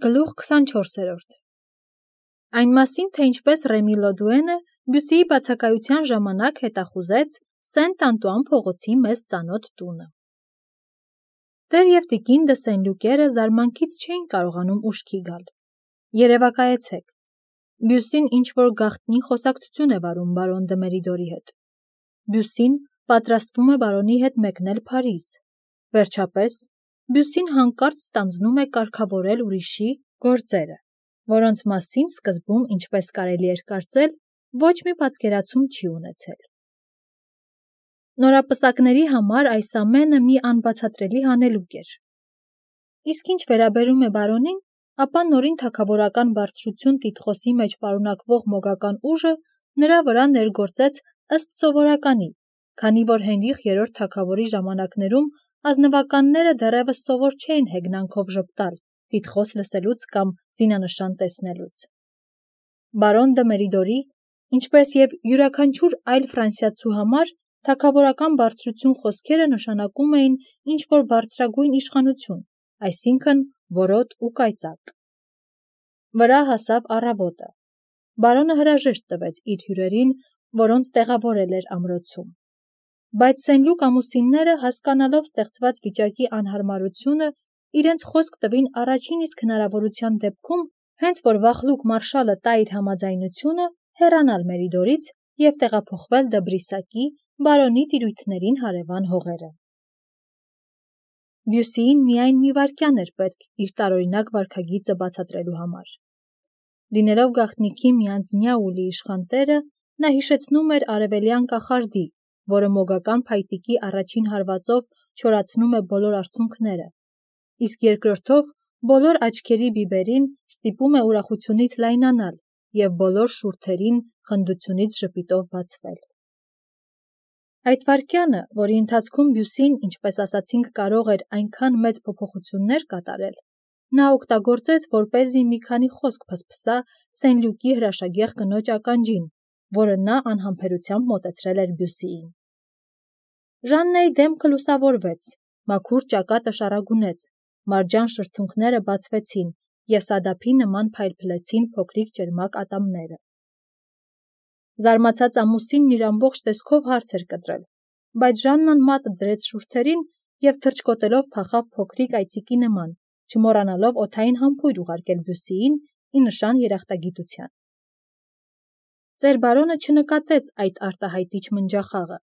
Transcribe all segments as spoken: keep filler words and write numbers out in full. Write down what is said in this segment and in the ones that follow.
Գլուխ քսանչորսերորդ Այն մասին, թե ինչպես Ռեմի Լոդուենը Բյուսիի բացակայության ժամանակ հետախուզեց Սենտ-Անտուան փողոցի մեծ ծանոթ տունը։ Տեր և տիկին դը Սեն-Լյուկերը զարմանքից չէին կարողանում ուշքի գալ։ Երևակայեցեք, Բյուսին ինչ-որ գաղտնի խոսակցություն է վարում բարոն դը Մերիդորի հետ։ Բյուսին պատրաստվում է բարոնի հետ մեկնել Փարիզ։ Վերջապես, Բյուսին հանկարծ ստանձնում է կարգավորել ուրիշի գործերը, որոնց մասին սկզբում, ինչպես կարելի էր կարծել, ոչ մի պատկերացում չի ունեցել։ Նորապսակների համար այս ամենը մի անբացատրելի հանելուկ էր։ Իսկ ինչ վերաբերում է բարոնին, ապա նորին թագավորական բարձրություն տիտղոսի մեջ պարունակվող մոգական ուժը նրա վրա ներգործեց ըստ սովորականի, քանի որ Հենրիխ երրորդ թագավորի ժամանակներում ազնվականները դեռևս սովոր չէին հեգնանքով ժպտալ, տիտղոս լսելուց կամ զինանշան տեսնելուց։ Բարոն դը Մերիդորի, ինչպես և յուրաքանչյուր այլ ֆրանսիացու համար, թագավորական բարձրություն խոսքերը նշանակում էին ինչ-որ բարձրագույն իշխանություն, այսինքն որոտ ու կայծակ։ Վրա հասավ առավոտը։ Բարոնը հրաժեշտ տվեց իր հյուրերին, որոնց տեղավորել էր ամրոցում։ Բայց Սեն-Լյուկ ամուսինները, հասկանալով ստեղծված վիճակի անհարմարությունը, իրենց խոսք տվին առաջին իսկ հնարավորության դեպքում, հենց որ վախլուկ մարշալը տա իր համաձայնությունը, հեռանալ Մերիդորից և տեղափոխվել Դբրիսակի, բարոնի տիրույթներին հարևան հողերը։ Բյուսիին միայն մի վայրկյան էր պետք իր տարօրինակ վարքագիծը բացատրելու համար։ Լինելով գաղտնիքի մի անձնյա ու լի իշխան տերը, նա հիշեցնում էր արևելյան կախարդի, որը մոգական փայտիկի առաջին հարվածով չորացնում է բոլոր արցունքները, իսկ երկրորդով բոլոր աչքերի բիբերին ստիպում է ուրախությունից լայնանալ և բոլոր շուրթերին խնդությունից ժպիտով բացվել։ Այդ վայրկյանը, որի ընթացքում Բյուսին, ինչպես ասացինք, կարող էր այնքան մեծ փոփոխություններ կատարել, նա օգտագործեց, որպեսզի մի քանի խոսք փսփսա Սեն-Լյուկի հրաշագեղ կնոջ ականջին, որը նա անհամբերությամբ մոտեցրել էր Բյուսիին։ Ժաննայի դեմքը լուսավորվեց, մաքուր ճակատը շառագունեց, մարջան շրթունքները բացվեցին և սադափի նման փայլփլեցին փոքրիկ ճերմակ ատամները։ Զարմացած ամուսինն իր ամբողջ տեսքով հարց էր կտրել, բայց Ժաննան մատը դրեց շուրթերին և թռչկոտելով փախավ փոքրիկ այծիկի նման, չմոռանալով օդային համբույր ուղարկել Բյուսիին ի նշան երախտագիտության։ Ծեր բարոնը չնկատեց այդ արտահայտիչ մնջախաղը։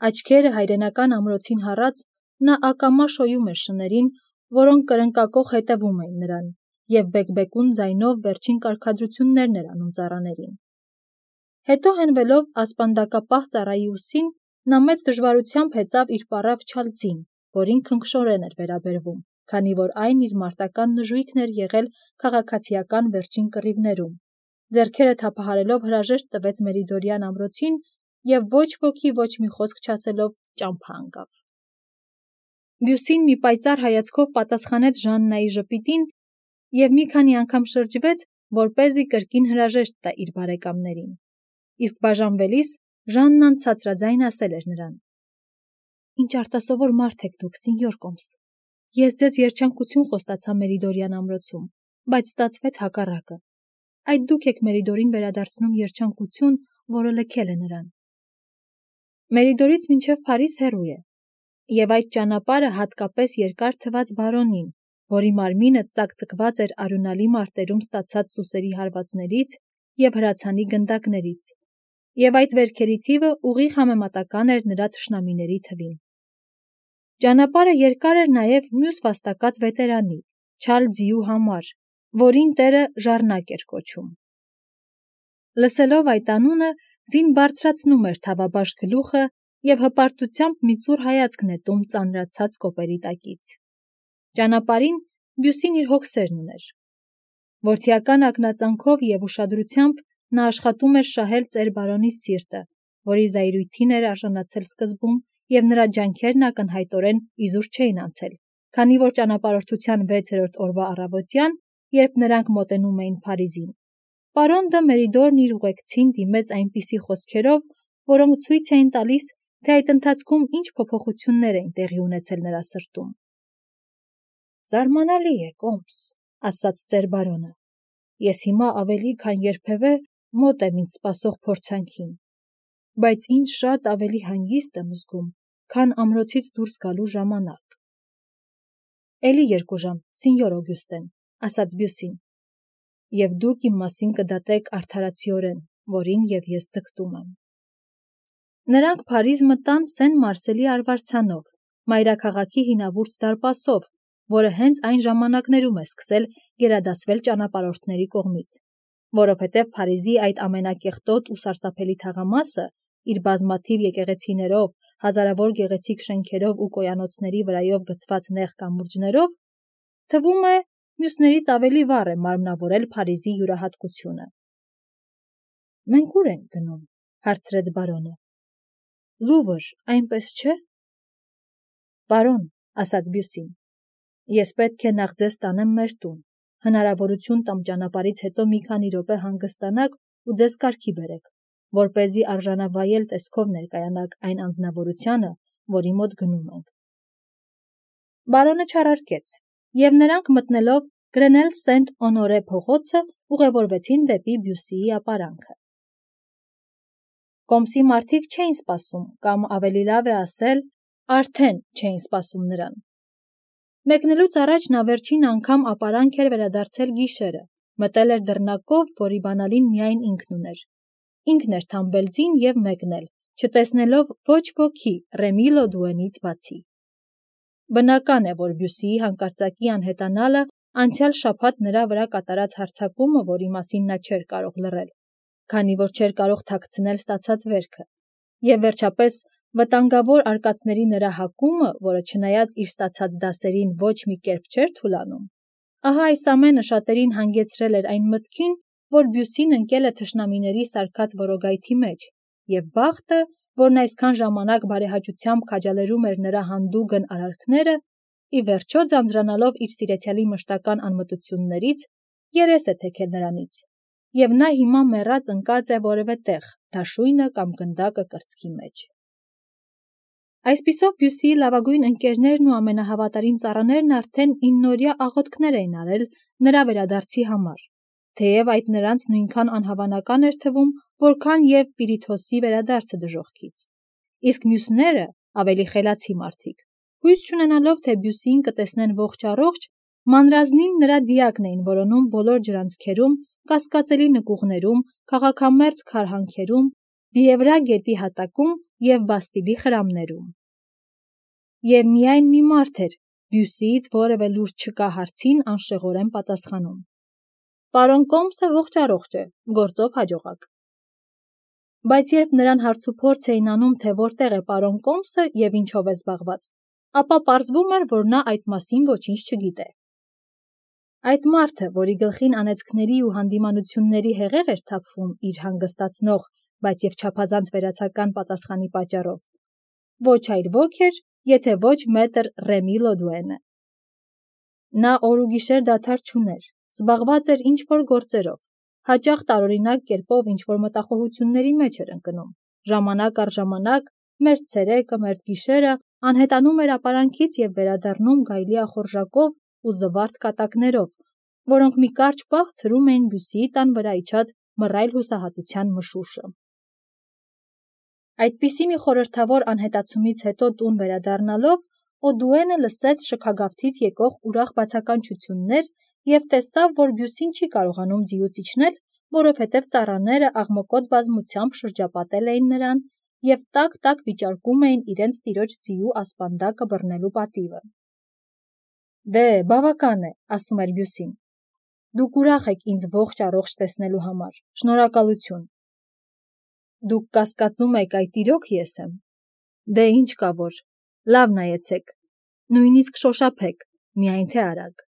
Աչքերը հայրենական ամրոցին հառած, նա ակամա շոյում էր շներին, որոնք կրնկակոխ հետևում էին նրան, և բեկբեկուն ձայնով վերջին կարգադրություններն էր անում ծառաներին։ Հետո հենվելով ասպանդակապահ ծառայի ուսին, նա մեծ դժվարությամբ հեծավ իր պառավ չալցին, որին քնքշորեն էր վերաբերվում, քանի որ այն իր մարտական նժույգն էր եղել քաղաքացիական վերջին կռիվներում, ձեռքերը թափահարելով հրաժեշտ տվեց Մերիդորյան ամրոցին և ոչ ոքի ոչ մի խոսք չասելով ճամփա ընկավ։ Բյուսին մի պայծառ հայացքով պատասխանեց Ժաննայի ժպիտին և մի քանի անգամ շրջվեց, որպեսզի կրկին հրաժեշտ տա իր բարեկամներին, իսկ բաժանվելիս Ժաննան ցածրաձայն ասել էր նրան. «Ինչ արտասովոր մարդ եք դուք, սինյոր Կոմս, ես ձեզ երջանկություն խոստացա Մերիդորյան ամրոցում, բայց ստացվեց հակառակը, այդ դուք եք Մերիդորին վերադարձնում երջանկություն, որը լքել է նրան։ Մերիդորից մինչև Փարիզ հեռու է, և այդ ճանապարհը հատկապես երկար թվաց բարոնին, որի մարմինը ծակծկված էր արյունալի մարտերում ստացած սուսերի հարվածներից և հրացանի գնդակներից, և այդ վերքերի թիվը ուղիղ համեմատական էր նրա թշնամիների թվին։ Ճանապարհը երկար էր նաև մյուս վաստակած վետերանի, չալ ձիու համար, որին տերը Ժառնակ էր կոչում։ Լսելով այդ անունը, ձին բարձրացնում էր թավաբաշ գլուխը և հպարտությամբ մի ծուռ հայացք նետում ծանրացած կոպերի տակից։ Ճանապարհին Բյուսին իր հոգսերն ուներ։ Որդիական ակնածանքով և ուշադրությամբ նա աշխատում էր շահել ծեր բարոնի սիրտը, որի զայրույթին էր արժանացել սկզբում, և նրա ջանքերն ակնհայտորեն իզուր չէին անցել, քանի որ ճանապարհորդության վեցերորդ օրվա առավոտյան, երբ նրանք մոտենում էին Փարիզին, պարոն դը Մերիդորն իր ուղեկցին դիմեց այնպիսի խոսքերով, որոնք ցույց էին տալիս, թե այդ ընթացքում ինչ փոփոխություններ էին տեղի ունեցել նրա սրտում։ «Զարմանալի է, Կոմս, ասաց ծեր բարոնը, ես հիմա ավելի քան երբևէ մոտ եմ ինձ սպասող փորձանքին, բայց ինձ շատ ավելի հանգիստ եմ զգում, քան ամրոցից դուրս գալու ժամանակ։ Էլի երկու ժամ, սինյոր Օգյուստեն, ասաց Բյուսին, և դուք իմ մասին կդատեք արդարացիորեն, որին և ես ձգտում եմ։ Նրանք Փարիզ մտան Սեն Մարսելի արվարձանով, մայրաքաղաքի հինավուրց դարպասով, որը հենց այն ժամանակներում է սկսել գերադասվել ճանապարհորդների կողմից, որովհետև Փարիզի այդ ամենակեղտոտ ու սարսափելի թաղամասը իր բազմաթիվ եկեղեցիներով, հազարավոր գեղեցիկ շենքերով ու կոյանոցների վրայով գցված նեղ կամուրջներով, թվում է մյուսներից ավելի վառ է մարմնավորել Փարիզի յուրահատկությունը։ Մենք ուր ենք գնում, հարցրեց բարոնը։ Լուվր, այնպես չէ։ Բարոն, ասաց Բյուսին, ես պետք է նախ ձեզ տանեմ մեր տուն, հնարավորություն տամ ճանապարհից հետո մի քանի րոպե հանգստանաք ու ձեզ կարգի բերեք, որպեսզի արժանավայել տեսքով ներկայանաք այն անձնավորությանը, որի մոտ գնում ենք։ Բարոնը չարարկեց, և նրանք մտնելով Գրենել Սենտ Օնորե փողոցը ուղևորվեցին դեպի Բյուսիի ապարանքը։ Կոմսի մարդիկ չէին սպասում, կամ ավելի լավ է ասել, արդեն չէին սպասում նրան։ Մեկնելուց առաջ նա վերջին անգամ ապարանք էր վերադարձել գիշերը, մտել էր դռնակով, որի բանալին միայն ինքն ուներ։ Ինքն էր թամբել ձին և մեկնել, չտեսնելով ոչ ոքի Ռեմի Լոդուենից բացի։ Բնական է, որ Բյուսիի հանկարծակի անհետանալը անցյալ շաբաթ նրա վրա կատարած հարձակումը, որի մասին նա չէր կարող լռել, քանի որ չէր կարող թաքցնել ստացած վերքը, և վերջապես վտանգավոր արկածների նրա հակումը, որը չնայած իր ստացած դասերին ոչ մի կերպ չէր թուլանում, ահա այս ամենը շատերին հանգեցրել էր այն մտքին, որ Բյուսին ընկել է թշնամիների սարքած որոգայթի մեջ, և բախտը, որն այսքան ժամանակ բարեհաճությամբ քաջալերում էր նրա հանդուգն արարքները, ի վերջո ձանձրանալով իր սիրեցյալի մշտական անմտություններից, երես է թեքել նրանից, և նա հիմա մեռած ընկած է որևէ տեղ, դաշույնը կամ գնդակը կրծքի մեջ։ Այսպիսով Բյուսիի լավագույն ընկերներն ու ամենահավատարիմ ծառաներն արդեն իննօրյա աղոթքներ էին արել նրա վերադարձի համար, թեև այդ նրանց նույնքան անհավանական էր թվում, որքան և Պիրիթոսի վերադարձը դժոխքից։ Իսկ մյուսները, ավելի խելացի մարդիկ, հույս չունենալով, թե Բյուսիին կտեսնեն ողջ-առողջ, մանրազնին նրա դիակն էին որոնում բոլոր ջրանցքերում, կասկածելի նկուղներում, քաղաքամերձ քարհանքերում, Բիևրա գետի հատակում և Բաստիլի խրամներում։ Եվ միայն մի մարդ էր Բյուսիից որևէ լուր չկա հարցին անշեղորեն պատասխանում։ Պարոն Կոմսը ողջ-առողջ է, գործով հաջողակ։ Բայց երբ նրան հարցուփորձ էին անում, թե որտեղ է պարոն Կոմսը և ինչով է զբաղված, ապա պարզվում էր, որ նա այդ մասին ոչինչ չգիտե։ Այդ մարդը, որի գլխին անեծքների ու հանդիմանությունների հեղեղ էր թափվում իր հանգստացնող, բայց և չափազանց վերացական պատասխանի պատճառով, ոչ այլ ոք էր, եթե ոչ մետր Ռեմի Լոդուենը։ Նա օր ու գիշեր դադար չուներ, զբաղված էր ինչ-որ գործերով, հաճախ տարօրինակ կերպով ինչ-որ մտախոհությունների մեջ էր ընկնում, ժամանակ առ ժամանակ, մերթ ցերեկը, մերթ գիշերը, անհետանում էր ապարանքից և վերադառնում գայլի ախորժակով ու զվարթ կատակներով, որոնք մի կարճ պահ ցրում էին Բյուսիի տան վրա իջած մռայլ հուսահատության մշուշը։ Այդպիսի մի խորհրդավոր անհետացումից հետո տուն վերադառնալով, Օդուենը լսեց շքագավթից եկող ուրախ բացականչություններ և տեսավ, որ Բյուսին չի կարողանում ձիուց իջնել, որովհետև ծառաները աղմկոտ բազմությամբ շրջապատել էին նրան և տաք-տաք վիճարկում էին իրենց տիրոջ ձիու ասպանդակը բռնելու պատիվը։ Դե, բավական է, ասում էր Բյուսին, դուք ուրախ եք ինձ ողջ-առողջ տեսնելու համար, շնորհակալություն։ Դուք կասկածում եք այդ իրոք ես եմ։ Դե ինչ կա որ, լավ նայեցեք, նույնիսկ շոշափեք, միայն թե արագ։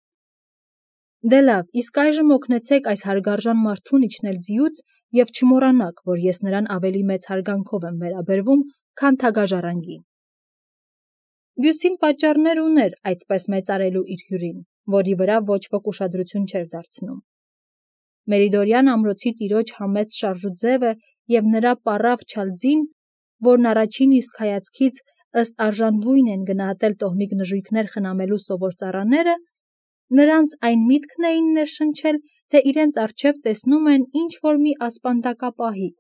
Դե լավ, իսկ այժմ օգնեցեք այս հարգարժան մարդուն իջնել ձիուց և չմոռանաք, որ ես նրան ավելի մեծ հարգանքով եմ վերաբերվում, քան թագաժառանգի։ Բյուսին պատճառներ ուներ այդպես մեծարելու իր հյուրին, որի վրա ոչ ոք ուշադրություն չէր դարձնում։ Մերիդորյան ամրոցի տիրոջ համեստ շարժուձևը և նրա պառավ չալ ձին, որն առաջին իսկ հայացքից ըստ արժանվույն են գնահատել տոհմիկ նժույգներ խնամելու սովոր ծառաները, Նրանց այն միտքն էին ներշնչել, թե իրենց առջև տեսնում են ինչ-որ մի ասպանդակապահի,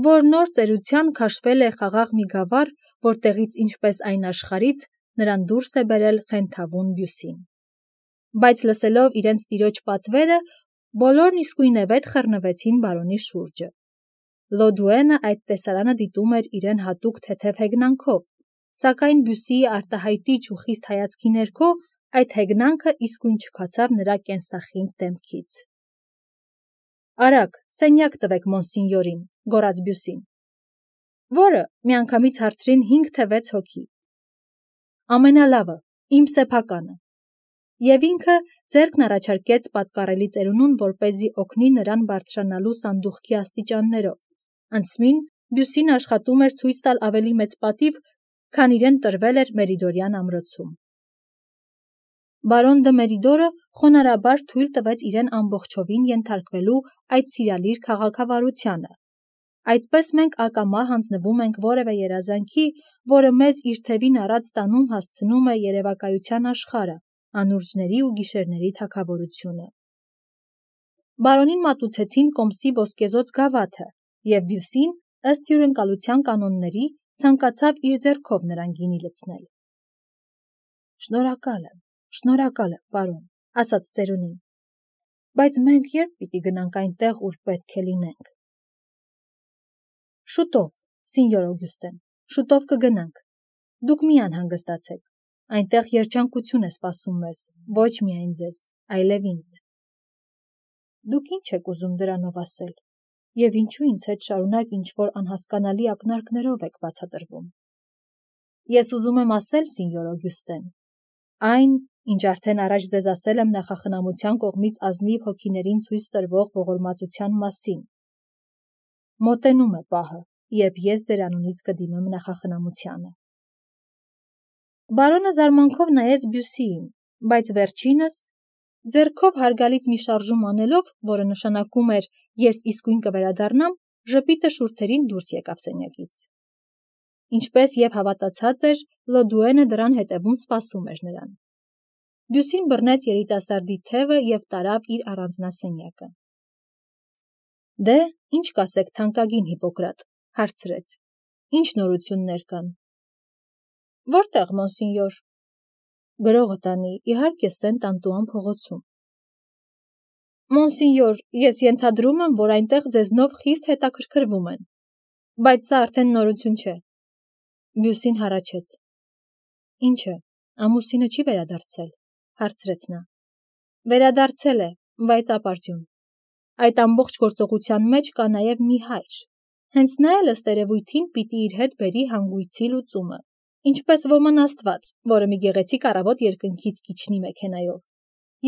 որ նոր ծերության քաշվել է խաղաղ մի գավառ, որտեղից ինչպես այն աշխարհից նրան դուրս է բերել խենթավուն բյուսին։ Բայց լսելով իրենց տիրոջ պատվերը, բոլորն իսկույնևեթ խռնվեցին բարոնի շուրջը։ Լոդուենը այդ տեսարանը դիտում էր իրեն հատուկ թեթև հեգնանքով, սակայն բյուսիի արտահայտիչ ու խիստ հայացքի ներքո այդ հեգնանքը իսկույն չքացավ նրա կենսախինդ դեմքից։ «Արագ, սենյակ տվեք մոնսինյորին», գոռաց բյուսին։ Որը, միանգամից հարցրին հինգ թե վեց հոգի։ Ամենալավը, իմ սեփականը։ Եվ ինքը ձեռքն առաջարկեց պատկառելի ծերունուն, որպեսզի օգնի նրան բարձրանալու սանդուղքի աստիճաններով, անցմին բյուսին աշխատում էր ցույց տալ ավելի մեծ պատիվ, քան իրեն տրվել էր Մերիդորյան ամրոցում։ Բարոն դը Մերիդորը խոնարհաբար թույլ տվեց իրեն ամբողջովին ենթարկվելու այդ սիրալիր քաղաքավարությանը։ Այդպես մենք ակամա հանձնվում ենք որևէ երազանքի, որը մեզ իր թևին առած տանում հասցնում է երևակայության աշխարհը, անուրջների ու գիշերների թագավորությունը։ Բարոնին մատուցեցին կոմսի ոսկեզօծ գավաթը, և բյուսին, ըստ հյուրընկալության կանոնների, ցանկացավ իր ձեռքով նրան գինի լցնել։ Շնորհակալ եմ, շնորհակալ եմ, պարոն, ասաց ծերունին, բայց մենք երբ պիտի գնանք այնտեղ, ուր պետք է լինենք։ Շուտով, սինյոր Օգյուստեն, շուտով կգնանք։ Դուք մի անհանգստացեք, այնտեղ երջանկություն է սպասում մեզ, ոչ միայն ձեզ, այլև ինձ։ Դուք ինչ եք ուզում դրանով ասել, և ինչու ինձ հետ շարունակ ինչ-որ անհասկանալի ակնարկներով եք բացատրվում։ Ես ուզում եմ ասել, սինյոր Օգյուստեն, այն, ինչ արդեն առաջ ձեզ ասել եմ նախախնամության կողմից ազնիվ հոգիներին ցույց տրվող ողորմածության մասին։ Մոտենում է պահը, երբ ես ձեր անունից կդիմեմ նախախնամությանը։ Բարոնը զարմանքով նայեց բյուսիին, բայց վերջինս, ձեռքով հարգալից մի շարժում անելով, որը նշանակում էր ես իսկույն կվերադառնամ, ժպիտը շուրթերին դուրս եկավ սենյակից։ Ինչպես և հավատացած էր, Լոդուենը դռան հետևում սպասում էր նրան։ Բյուսին բռնեց երիտասարդի թևը և տարավ իր առանձնասենյակը։ Դե, ինչ կասեք, թանկագին Հիպոկրատ, հարցրեց, ինչ նորություններ կան։ Որտեղ, մոնսինյոր։ Գրողը տանի, իհարկե, Սենտ Անտուան փողոցում։ Մոնսինյոր, ես ենթադրում եմ, որ այնտեղ ձեզնով խիստ հետաքրքրվում են, բայց սա արդեն նորություն չէ։ Բյուսին հառաչեց։ Ինչը, ամուսինը չի վերադարձել, հարցրեց նա։ Վերադարձել է, բայց ապարդյուն։ Այդ ամբողջ գործողության մեջ կա նաև մի հայր։ Հենց նա էլ ըստ երևույթին պիտի իր հետ բերի հանգույցի լուծումը, ինչպես ոման աստված, որը մի գեղեցիկ առավոտ երկնքից կիջնի մեքենայով։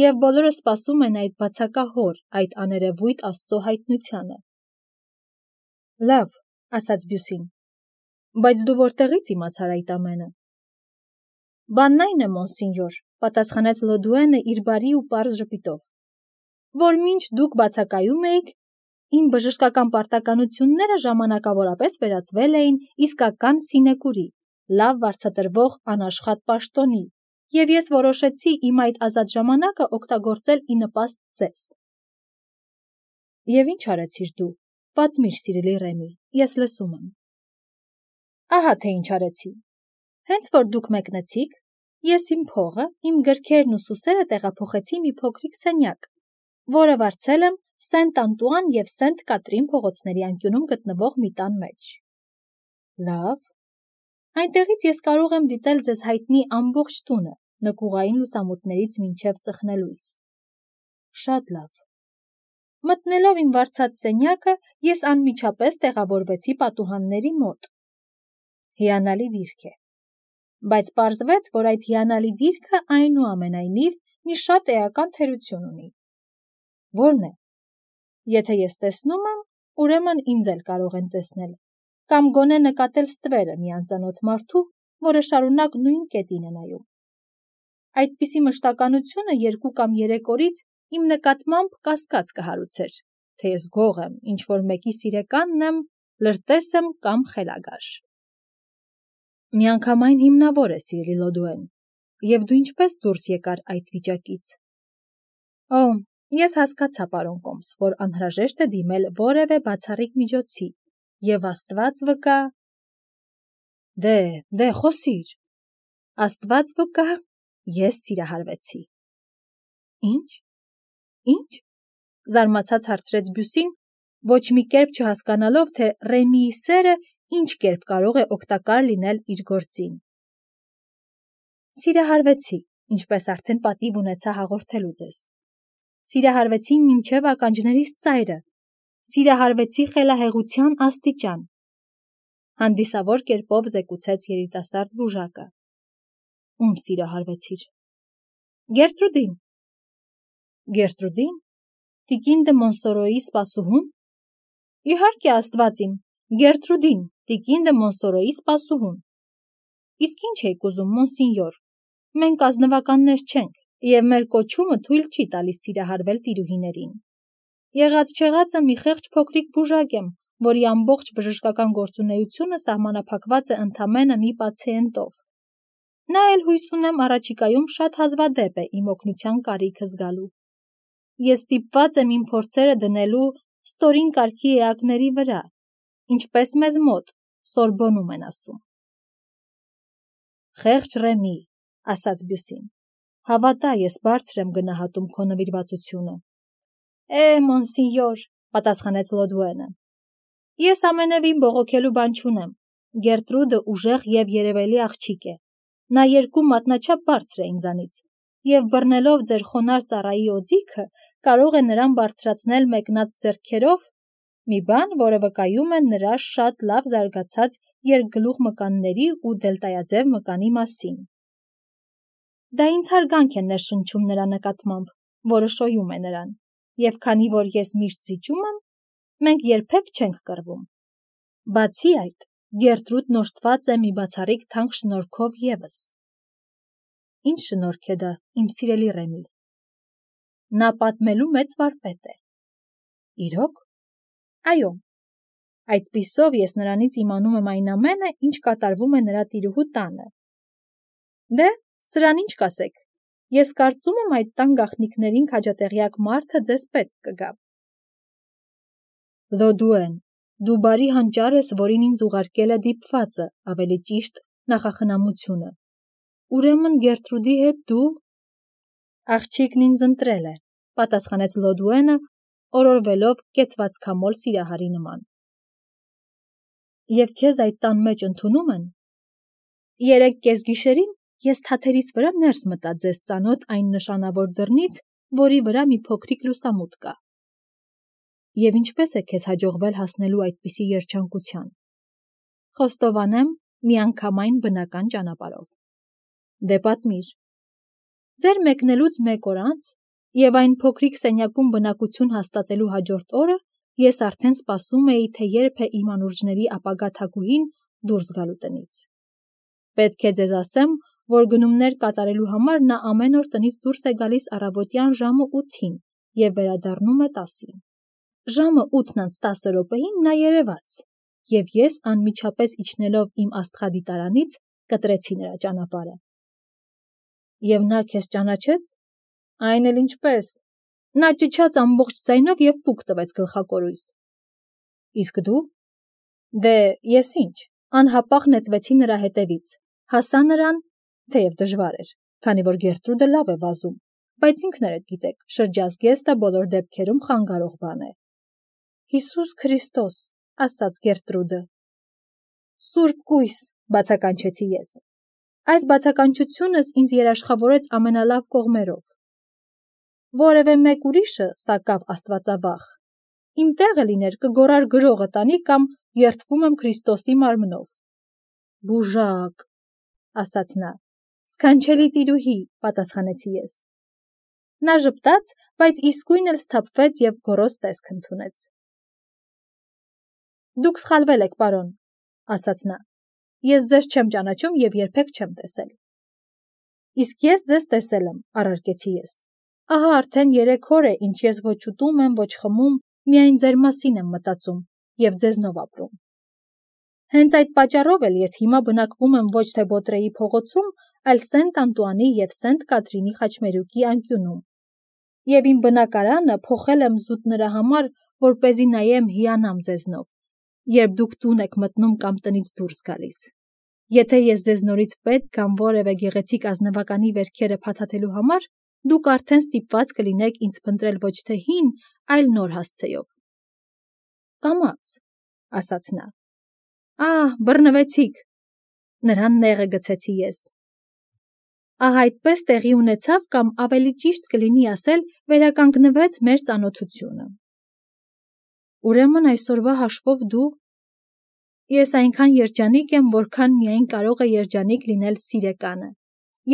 Եվ բոլորը սպասում են այդ բացակահոր, այդ աներևույթ աստծո հայտնությանը։ Լավ, ասաց բյուսին, բայց դու որտեղից իմացար այդ ամենը։ Բանն այն է, մոնսինյոր, պատասխանեց Լոդուենը իր բարի ու պարզ ժպիտով, որ մինչ դուք բացակայում էիք, իմ բժշկական պարտականությունները ժամանակավորապես վերածվել էին իսկական սինեկուրի, լավ վարձատրվող անաշխատ պաշտոնի, և ես որոշեցի իմ այդ ազատ ժամանակը օգտագործել ի նպաստ ձեզ։ Եվ ինչ արեցիր դու, պատմիր, սիրելի Ռեմի, ես լսում եմ։ Ահա թե ինչ արեցի։ Հենց որ դուք մեկնեցիք, ես իմ փողը, իմ գրքերն ու սուսերը տեղափոխեցի մի փոքրիկ սենյակ, որը վարձել եմ Սենտ Անտուան և Սենտ Կատրին փողոցների անկյունում գտնվող մի տան մեջ։ Լավ։ Այնտեղից ես կարող եմ դիտել ձեզ հայտնի ամբողջ տունը, նկուղային լուսամուտներից մինչև ծխնելույս։ Շատ լավ։ Մտնելով իմ վարձած սենյակը, ես անմիջապես տեղավորվեցի պատուհանների մոտ։ Հիանալի դիրք է։ Բայց պարզվեց, որ այդ հիանալի դիրքը այնուամենայնիվ մի շատ էական թերություն ունի։ Որն է։ Եթե ես տեսնում եմ, ուրեմն ինձ էլ կարող են տեսնել, կամ գոնե նկատել ստվերը մի անծանոթ մարդու, որը շարունակ նույն կետին է նայում։ Այդպիսի մշտականությունը երկու կամ երեք օրից իմ նկատմամբ կասկած կհարուցեր, թե ես գող եմ, ինչ-որ մեկի սիրեկանն եմ, լրտես եմ կամ խելագար։ Միանգամայն հիմնավոր է, սիրելի Լոդուեն, և դու ինչպես դուրս եկար այդ վիճակից։ Օ, ես հասկացա, պարոն Կոմս, որ անհրաժեշտ է դիմել որևէ բացառիկ միջոցի, եւ Աստված վկա… Դե, դե, խոսիր… Աստված վկա, ես սիրահարվեցի։ Ինչ, ինչ, զարմացած հարցրեց Բյուսին, ոչ մի կերպ չհասկանալով, թե Ռեմիի սերը ինչ կերպ կարող է օգտակար լինել իր գործին։ Սիրահարվեցի, ինչպես արդեն պատիվ ունեցա հաղորդելու ձեզ։ Սիրահարվեցի մինչև ականջներիս ծայրը, սիրահարվեցի խելահեղության աստիճան։ Հանդիսավոր կերպով զեկուցեց երիտասարդ բուժակը։ Ում սիրահարվեցիր։ Գերտրուդին։ Գերտրուդին, տիկին դե Մոնսորոյի սպասուհուն։ Իհարկե Աստված իմ, Գերտրուդին, տիկին դե Մոնսորոյի սպասուհուն։ Իսկ ինչ եք ուզում, մոնսինյոր, մենք ազնվականներ չենք, եւ մեր կոչումը թույլ չի տալիս սիրահարվել տիրուհիներին։ Եղած չեղածը մի խեղճ փոքրիկ բուժակ եմ, որի ամբողջ բժշկական գործունեությունը սահմանափակված է ընդամենը մի պացիենտով։ Նա էլ հույս ունեմ առաջիկայում շատ հազվադեպ է իմ օգնության կարիքը զգալու։ Ես ստիպված եմ իմ փորձերը դնելու ստորին կարգի էակների վրա, ինչպես մեզ մոտ Սորբոնում են ասում։ Խեղճ Ռեմի, ասաց Բյուսին, հավատա, ես բարձր եմ գնահատում քո նվիրվածությունը։ Է, մոնսինյոր, պատասխանեց Լոդուենը։ Ես ամենևին բողոքելու բան չունեմ։ Գերտրուդը ուժեղ եւ երևելի աղջիկ է։ Նա երկու մատնաչափ բարձր է ինձանից, եւ բռնելով ձեր խոնարհ ծառայի օձիքը, կարող է նրան բարձրացնել մեկնած ձեռքերով, մի բան, որը վկայում է նրա շատ լավ զարգացած երկգլուխ մկանների ու դելտայաձև մկանի մասին։ Դա ինձ հարգանք է ներշնչում նրա նկատմամբ, որը շոյում է նրան, եւ քանի որ ես միշտ զիջում եմ, մենք երբեք չենք կռվում։ Բացի այդ, Գերտրուդն օժտված է մի բացառիկ թանկ շնորհքով ևս։ Ինչ շնորհք է դա, իմ սիրելի Ռեմի։ Նա պատմելու մեծ վարպետ է։ Իրոք։ Այո։ Այդպիսով ես նրանից իմանում եմ այն ամենը, ինչ կատարվում է նրա տիրուհու տանը։ Դե, սրան ինչ կասեք։ Ես կարծում եմ այդ տան գաղտնիքներին քաջատեղյակ մարդը ձեզ պետք կգա։ Լոդուեն, դու բարի հանճար ես, որին ինձ ուղարկել է դիպվածը, ավելի ճիշտ նախախնամությունը։ Ուրեմն Գերտրուդի հետ դու… Աղջիկն ինձ ընտրել է, պատասխանեց Լոդուենը, օրորվելով կեցվածքամոլ սիրահարի նման։ Եվ քեզ այդ տան մեջ ընդունում են։ Երեկ կեսգիշերին ես թաթերիս վրա ներս մտա ձեզ ծանոթ այն նշանավոր դռնից, որի վրա մի փոքրիկ լուսամուտ կա։ Եվ ինչպես է քեզ հաջողվել հասնելու այդպիսի երջանկության։ Խոստովանեմ, միանգամայն բնական ճանապարհով։ Դե պատմիր։ Ձեր մեկնելուց մեկ օր անց եւ այն փոքրիկ սենյակում բնակություն հաստատելու հաջորդ օրը ես արդեն սպասում էի, թե երբ է իմ անուրջների ապագա թագուհին դուրս գալու տնից։ Պետք է ձեզ ասեմ, որ գնումներ կատարելու համար նա ամեն օր տնից դուրս է գալիս առավոտյան ժամը ութին եւ վերադառնում է տասին։ Ժամը ութն անց տասը րոպեին նա երևաց, եւ ես անմիջապես իջնելով իմ աստղադիտարանից կտրեցի նրա ճանապարհը։ Եվ նա քեզ ճանաչեց։ Այն էլ ինչպես։ Նա ճչաց ամբողջ ձայնով եւ պուկ տվեց գլխակորույս։ Իսկ դու։ Դե, ես ինչ, անհապաղ նետվեցի նրա հետևից, հասա նրան, թեև դժվար էր, քանի որ Գերտրուդը լավ է վազում, բայց ինքներդ գիտեք, շրջազգեստը բոլոր դեպքերում խանգարող բան է։ Հիսուս Քրիստոս, ասաց Գերտրուդը։ Սուրբ կույս, բացականչեցի ես։ Այս բացականչությունս ինձ երաշխավորեց ամենալավ կողմերով։ Որևէ մեկ ուրիշը, սակավ աստվածավախ, իմ տեղը լիներ կգորար գրողը տանի կամ երդվում եմ Քրիստոսի մարմնով։ Բուժակ, ասաց նա։ Սքանչելի տիրուհի, պատասխանեցի ես։ Նա ժպտաց, բայց իսկույն էլ սթափվեց եւ գոռոզ տեսք ընդունեց։ Դուք սխալվել եք, պարոն, ասաց նա։ Ես ձեզ չեմ ճանաչում եւ երբեք չեմ տեսել։ Իսկ ես ձեզ տեսել եմ, առարկեցի ես։ Ահա արդեն երեք օր է, ինչ ես ոչ ուտում եմ, ոչ խմում, միայն ձեր մասին եմ մտածում եւ ձեզնով ապրում։ Հենց այդ պատճառով էլ ես հիմա բնակվում եմ ոչ թե Բոտրեի փողոցում, այլ Սենտ Անտուանի եւ Սենտ Կատրինի խաչմերուկի անկյունում։ Եվ իմ բնակարանը փոխել եմ զուտ նրա համար, որպեսզի նայեմ հիանամ ձեզնով, երբ դուք տուն եք մտնում կամ տնից դուրս գալիս։ Եթե ես ձեզ նորից պետք կամ որևէ գեղեցիկ ազնվականի վերքերը փաթաթելու համար, դուք արդեն ստիպված կլինեք ինձ փնտրել ոչ թե հին, այլ նոր հասցեով։ Կամաց, ասաց նա։ Ահ, բռնվեցիք, նրան նեղը գցեցի ես։ Ահ, այդպես տեղի ունեցավ կամ ավելի ճիշտ կլինի ասել, վերականգնվեց մեր ծանոթությունը։ Ուրեմն այսօրվա հաշվով դու… Ես այնքան երջանիկ եմ, որքան միայն կարող է երջանիկ լինել սիրեկանը,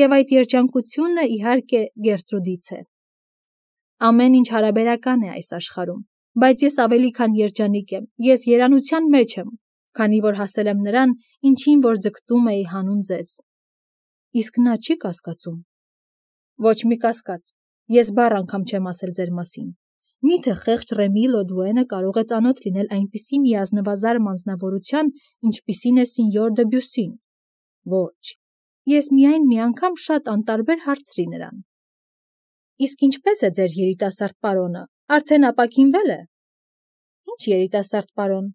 և այդ երջանկությունը, իհարկե, Գերտրուդից է։ Ամեն ինչ հարաբերական է այս աշխարհում, բայց ես ավելի քան երջանիկ եմ, ես երանության մեջ եմ, քանի որ հասել եմ նրան, ինչին որ ձգտում էի հանուն ձեզ։ Իսկ նա չի կասկածում։ Ոչ մի կասկած, ես բառ անգամ չեմ ասել ձեր մասին։ Միթե խեղճ Ռեմի Լոդուենը կարող է ծանոթ լինել այնպիսի մի ազնվազարմ անձնավորության, ինչպիսին է Սինյոր դը Բյուսին։ Ոչ, ես միայն մի անգամ շատ անտարբեր հարցրի նրան։ Իսկ ինչպես է ձեր երիտասարդ պարոնը, արդեն ապաքինվել է։ Ինչ երիտասարդ պարոն։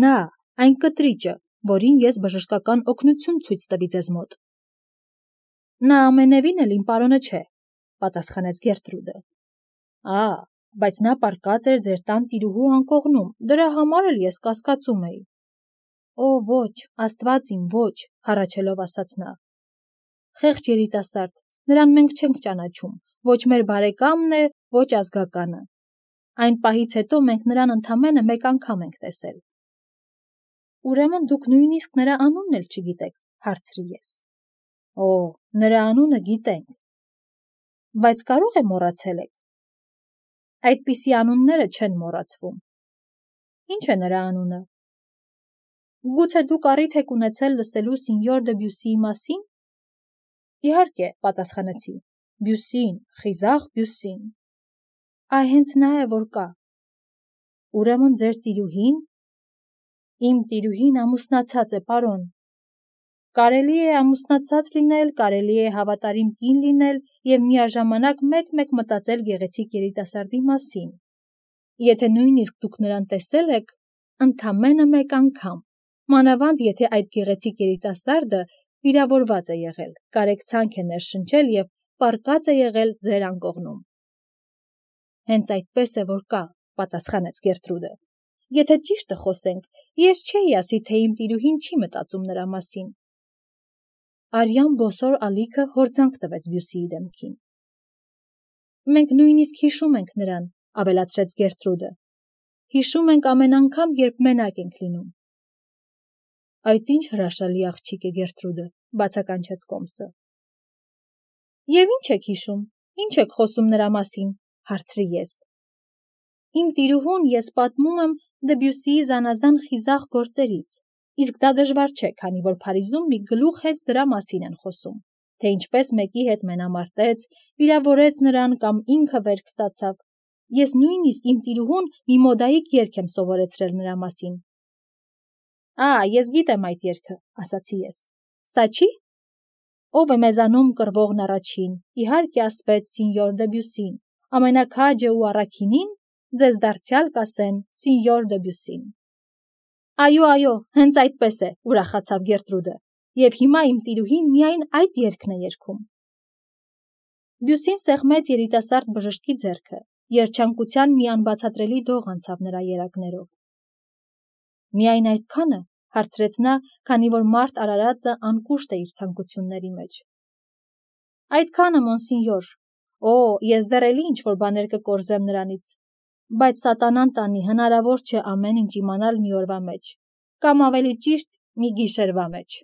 Նա, այն կտրիճը, որին ես բժշկական օգնություն ցույց տվի ձեզ մոտ։ Նա ամենևին էլ իմ պարոնը չէ, պատասխանեց Գերտրուդը։ Ա, բայց նա պառկած էր ձեր տան տիրուհու անկողնում, դրա համար էլ ես կասկածում էի։ Օ, ոչ, Աստված իմ, ոչ, հառաչելով ասաց նա։ Խեղճ երիտասարդ, նրան մենք չենք ճանաչում, ոչ մեր բարեկամն է, ոչ ազգականը։ Այն պահից հետո մենք նրան ընդամենը մեկ անգամ ենք տեսել։ Ուրեմն դուք նույնիսկ նրա անունն էլ չգիտեք, հարցրի ես։ Օ, նրա անունը գիտենք։ Բայց կարող է մոռացել եք։ Այդպիսի անունները չեն մոռացվում։ Ինչ է նրա անունը։ Գուցե դուք առիթ եք ունեցել լսելու Սինյոր դը Բյուսիի մասին։ Իհարկե, պատասխանեցի։ Բյուսին, խիզախ Բյուսին։ Այ հենց նա է, որ կա։ Ուրեմն ձեր տիրուհին։ Իմ տիրուհին ամուսնացած է, պարոն։ Կարելի է ամուսնացած լինել, կարելի է հավատարիմ կին լինել և միաժամանակ մեկ-մեկ մտածել գեղեցիկ երիտասարդի մասին։ Եթե նույնիսկ դուք նրան տեսել եք, ընդամենը մեկ անգամ, մանավանդ եթե այդ գեղեցիկ երիտասարդը վիրավորված է եղել, կարեկցանք է ներշնչել և պառկած է եղել ձեր անկողնում։ Հենց այդպես է, որ կա, պատասխանեց Գերտրուդը։ Եթե ճիշտը խոսենք, ես չէի ասի, թե իմ տիրուհին չի մտածում նրա մասին։ Արյան բոսոր ալիքը հորձանք տվեց Բյուսիի դեմքին։ Մենք նույնիսկ հիշում ենք նրան, ավելացրեց Գերտրուդը։ Հիշում ենք ամեն անգամ, երբ մենակ ենք լինում։ Այդ ինչ հրաշալի աղջիկ է Գերտրուդը, բացականչեց Կոմսը։ Եվ ինչ եք հիշում, ինչ եք խոսում նրա մասին, հարցրի ես։ Իմ տիրուհուն ես պատմում եմ Դեբյուսիի զանազան խիզախ գործերից, իսկ դա դժվար չէ, քանի որ Փարիզում մի գլուխ հենց դրա մասին են խոսում, թե ինչպես մեկի հետ մենամարտեց, վիրավորեց նրան կամ ինքը վերք ստացավ։ Ես նույնիսկ իմ տիրուհուն մի մոդայիկ երգ եմ սովորեցրել նրա մասին։ Ա, ես գիտեմ այդ երգը, ասացի ես։ Սա չի։ Ով է մեզանում կռվողն առաջին, իհարկե ասպեց Սինյոր դը Բյուսին, ամենաքաջը ու առաքինին, ձեզ դարձյալ կասեն Սինյոր դը Բյուսին։ Այո, այո, հենց այդպես է, ուրախացավ Գերտրուդը, և հիմա իմ տիրուհին միայն այդ երգն է երգում։ Բյուսին սեղմեց երիտասարդ բժշկի ձեռքը, երջանկության մի անբացատրելի դող անցավ նրա երակներով։ Միայն այդքանը, հարցրեց նա, քանի որ մարդ արարածը անկուշտ է իր ցանկությունների մեջ։ Այդքանը, մոնսինյոր։ Օ, ես դեռ էլի ինչ-որ բաներ կկորզեմ նրանից, բայց սատանան տանի, հնարավոր չէ ամեն ինչ իմանալ մի օրվա մեջ, կամ ավելի ճիշտ մի գիշերվա մեջ։